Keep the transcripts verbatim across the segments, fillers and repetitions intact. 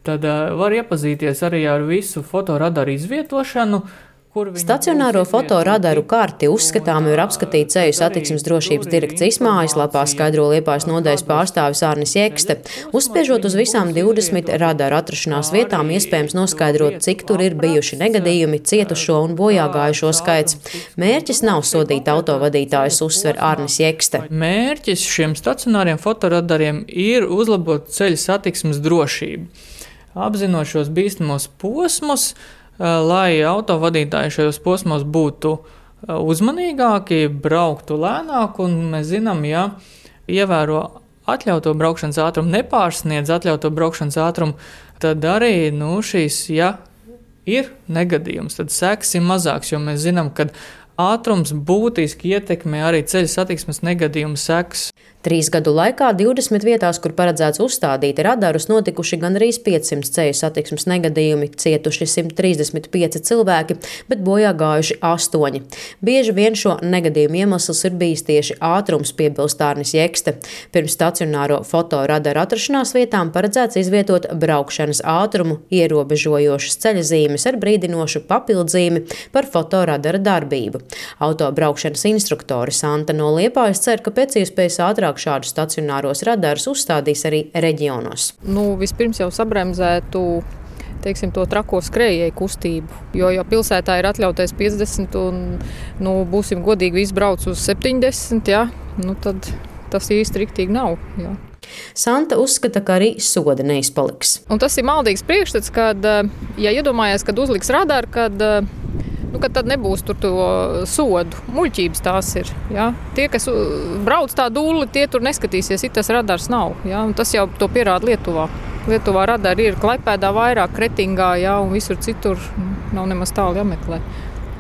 tad uh, var iepazīties arī ar visu fotoradaru izvietošanu. Stacionāro fotoradaru karti uzskatāmi var apskatīt Ceļu satiksmes drošības direkcijas mājaslapā, skaidro Liepājas nodaļas pārstāvis Arnis Jekste. Uzspiežot uz visām divdesmit radaru atrašanās vietām, iespējams noskaidrot, cik tur ir bijuši negadījumi, cietušo un bojāgājušo skaits. Mērķis nav sodīt autovadītājus, uzsver Arnis Jekste. Mērķis šiem stacionāriem fotoradariem ir uzlabot ceļu satiksmes drošību. Apzinot šos bīstamos posmus, lai autovadītāji šajos posmos būtu uzmanīgāki, brauktu lēnāk, un mēs zinām, ja ievēro atļauto braukšanas ātrumu, nepārsniedz atļauto braukšanas ātrumu, tad arī, nu, šīs, ja ir negadījums, tad sekas ir mazāks, jo mēs zinām, ka ātrums būtiski ietekmē arī ceļu satiksmes negadījumu sekas. Trīs gadu laikā divdesmit vietās, kur paredzēts uzstādīt radarus, notikuši gandrīz piecsimt ceļu satiksmes negadījumi, cietuši simt trīsdesmit pieci cilvēki, bet bojā gājuši astoņi. Bieži vien šo negadījumu iemesls ir bijis tieši ātrums, piebilst Arnis Jekste. Pirms stacionāro fotoradaru atrašanās vietām paredzēts izvietot braukšanas ātrumu ierobežojošas ceļazīmes ar brīdinošu papildzīmi par fotoradara darbību. Autobraukšanas instruktore Santa no Liepājas cer, ka pēc iespējas ātrāk šādus stacionāros radarus uzstādīs arī reģionos. Nu, vispirms jau sabremzētu, teiksim, to trako skrējēju kustību, jo jau pilsētā ir atļautais piecdesmit un, nu, būsim godīgi, viss brauc uz septiņdesmit, ja? Nu, tad tas īsti riktīgi nav, ja. Santa uzskata, ka arī soda neizpaliks. Un tas ir maldīgs priekšstats, kad, ja iedomājies, kad uzliks radaru, kad Nu, kad tad nebūs tur to sodu. Muļķības tās ir. Ja? Tie, kas brauc tā dūli, tie tur neskatīsies, ja tas radars nav. Ja? Un tas jau to pierāda Lietuvā. Lietuvā radari ir Klaipēdā vairāk, Kretingā, ja? Un visur citur nav nemaz tālu jāmeklē.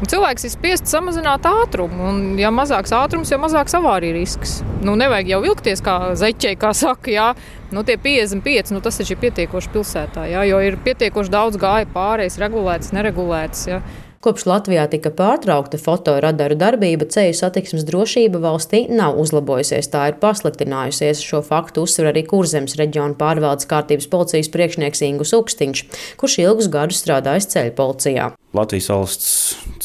Un cilvēks ir spiests samazināt ātrumu, un ja mazāks ātrums, jo mazāks avārija risks. Nu, nevajag jau vilkties kā zeķei, kā saka, jā. Nu, tie piecdesmit pieci, nu, tas ir pietiekoši pilsētā, jā, jo ir pietiekoši daudz gāja pārējais, regulēts, neregulēts, jā. Kopš Latvijā tika pārtraukta fotoradaru darbība, ceļu satiksmes drošība valstī nav uzlabojusies, tā ir pasliktinājusies. Šo faktu uzsver arī Kurzemes reģiona pārvaldes kārtības policijas priekšnieks Ingus Ukstiņš, kurš ilgus gadus strādājis ceļu policijā. Latvijas valsts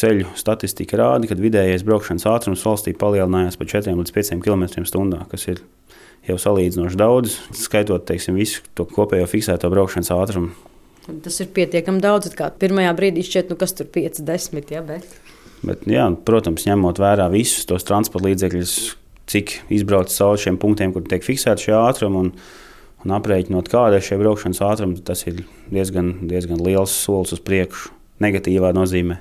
ceļu statistika rāda, ka vidējais braukšanas ātrums valstī palielinājās par četriem līdz pieciem kilometriem stundā, kas ir jau salīdzinoši daudz, skaitot, teiksim, visu to kopējo fiksēto braukšanas ātrumu. Tas ir pietiekami daudz, kā pirmajā brīdī šķiet, nu kas tur pieci, desmit, ja, bet... Bet, jā, protams, ņemot vērā visus tos transporta līdzekļus, cik izbrauc cauri šiem punktiem, kur tiek fiksēti šie ātrumi un, un aprēķinot, kāda ir šie braukšanas ātrumi, tas ir diezgan, diezgan liels solis uz priekšu. Negatīvā nozīmē.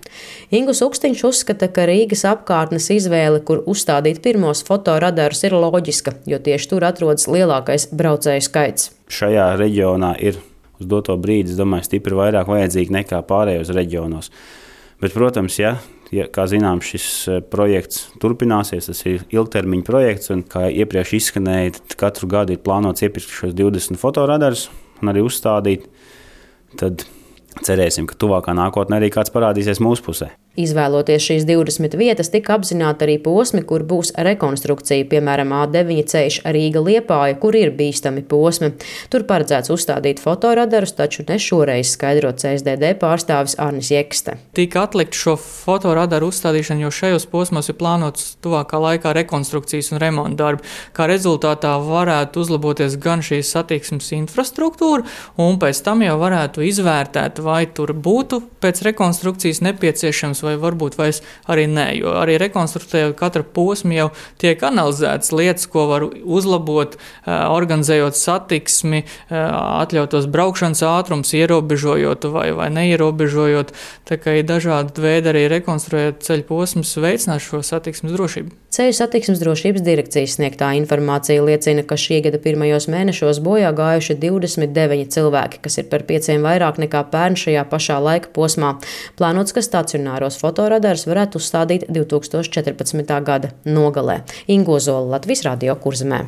Ingus Ukstiņš uzskata, ka Rīgas apkārtnes izvēle, kur uzstādīt pirmos fotoradarus, ir loģiska, jo tieši tur atrodas lielākais braucēju skaits. Šajā reģionā ir uz doto brīdi, es domāju, stipri vairāk vajadzīgi nekā pārējos reģionos. Bet, protams, ja, ja, kā zinām, šis projekts turpināsies, tas ir ilgtermiņa projekts, un kā iepriekš izskanēja, katru gadu ir plānots iepirkt šos divdesmit fotoradarus un arī uzstādīt, tad cerēsim, ka tuvākā nākotnē arī kāds parādīsies mūsu pusē. Izvēloties šīs divdesmit vietas, tika apzināti arī posmi, kur būs rekonstrukcija, piemēram, A deviņi ceļš Rīga-Liepāja, kur ir bīstami posmi. Tur paredzēts uzstādīt fotoradarus, taču ne šoreiz, skaidro C S D D pārstāvis Arnis Jekste. Tika atlikt šo fotoradaru uzstādīšanu, jo šajos posmos ir plānots tuvākā laikā rekonstrukcijas un remonta darbi. Kā rezultātā varētu uzlaboties gan šīs satiksmes infrastruktūra, un pēc tam jau varētu izvērtēt, vai tur būtu pēc rekonstrukcijas nepieciešams vai varbūt vairs arī nē, jo arī rekonstruējot katra posma jau tiek analizētas lietas, ko var uzlabot, organizējot satiksmi, atļautos braukšanas ātrums, ierobežojot vai, vai neierobežojot. Tā kā ir dažādi veidi arī rekonstruējot ceļu posmus, veicināt šo satiksmes drošību. Ceļu satiksmes drošības direkcijas sniegtā informācija liecina, ka šī gada pirmajos mēnešos bojā gājuši divdesmit deviņi cilvēki, kas ir par pieciem vairāk nekā pērn šajā pašā laika posmā. Plānots, ka stacionāros fotoradarus varētu uzstādīt divtūkstoš četrpadsmitā gada nogalē. Ingo Zola, Latvijas radio Kurzemē.